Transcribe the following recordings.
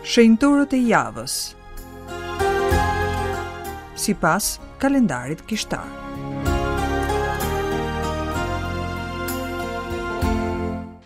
Shenjtorët e javës. Sipas kalendarit kishtar.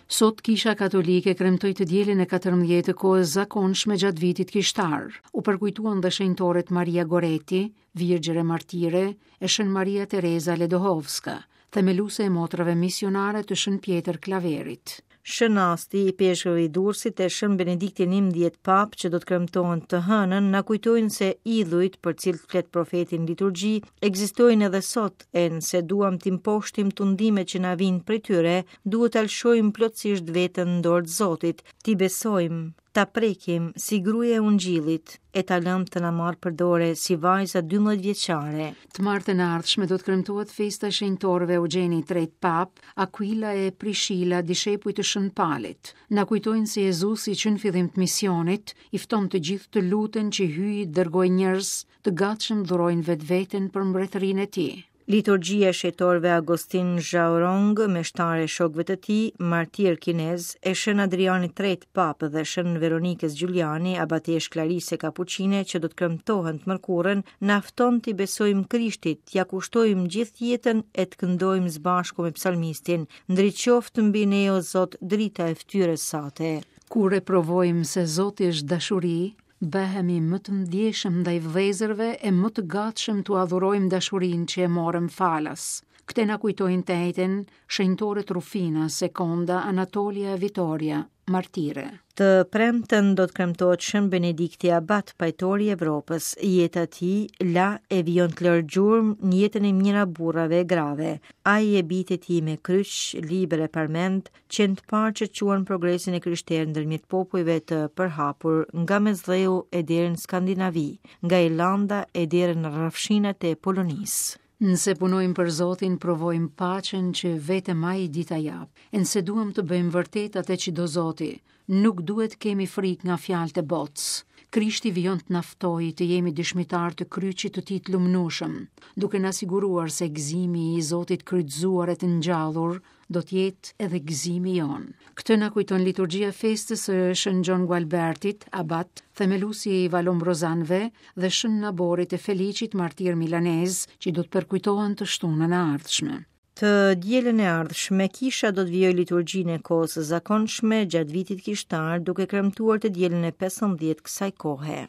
Sot Kisha Katolike kremtoi të dielën e 14 të kohës zakonshme gjatë vitit kishtar. U përkujtuan dhe shenjtoret Maria Goretti, Virgjër e Martire, e Shën Maria Tereza Ledohovska, themeluese e motrave misionare të Shën Pjetër Klaverit. Shën Asti, ipeshkëv i Durrësit e Shën Benedikti 11 Papë që do të kremtohen të hënën, na kujtojnë se idhujt për cilët flet profeti në liturgji ekzistojnë edhe sot e nëse duam t'i mposhtim tundimet që na vijnë prej tyre, duhet ta lëshojmë plotësisht veten në dorë të Zotit, t'i besojmë, ta prekim si gruaja e ungjillit e ta lëmë të na marrë për dore si vajza 12 vjeçare. Të martën e ardhshme do të kremtohet festa e shenjtorëve Eugjeni i Tretë Papë, Akuila e Prishila, dishepuj të Shën Palit. Na kujtojnë se Jezusi që në fillim të misionit i fton të gjithë të luten që Hyji të dërgojë njerëz të gatshëm të dhurojnë vetveten për mbretërinë e tij. Liturgjia e shenjtorëve Agostin Zhao Rong, meshtar e shokëve të tij, martirë kinezë, e Shën Adrianit Tretë Papë dhe Shën Veronikës Giuliani, abateshë Klarise Kapuçine që do të kremtohen të mërkurën, na fton t'i besojmë Krishtit, t'ia kushtojmë gjithë jetën e të këndojmë së bashku me psalmistin, Ndriçoftë mbi ne o Zot drita e fytyrës sate. Kur e provojmë se Zoti është dashuri, Bëhemi më të ndjeshëm ndaj vëllezërve e më të gatshëm t'ua dhurojmë dashurinë që e morëm falas. Këtë na kujtojnë të enjten shenjtoret Rufina, Sekonda, Anatolia e Vitoria, martire. Të premten do të kremtohet Shën Benedikti Abat, pajtori i Evropës. Jeta e tij la e vijon të lërë gjurmë në jetën e mijëra burrave e grave. Ai e bijtë e tij me kryq, libër e parmendë, qenë të parë që çuan progresin e krishterë ndërmjet popujve të përhapur nga Mesdheu e deri në Skandinavi, nga Irlanda e deri në rrafshinat e Polonisë. Nëse punojmë për Zotin, provojmë paqen që vetëm Ai di ta japë. E nëse duam të bëjmë vërtet atë që do Zoti, nuk duhet të kemi frikë nga fjalët e botës. Krishti vijon të na ftojë të jemi dëshmitarë të kryqit të tij të lumnueshëm, duke na siguruar se gëzimi i Zotit kryqëzuar e të ngjallur do të jetë edhe gëzimi jonë. Këtë na kujton liturgjia e festës së Shën Gjon Gualbertit, abat, themeluesi i Valombrozanëve dhe Shën Naborit e Feliçit, martir milanez, që do të përkujtohen të shtunën e ardhshme. Të dielën e ardhshme, kisha do të vijojë liturgjinë e kohës së zakonshme gjatë vitit kishtar, duke kremtuar të dielën e 15 kësaj kohe.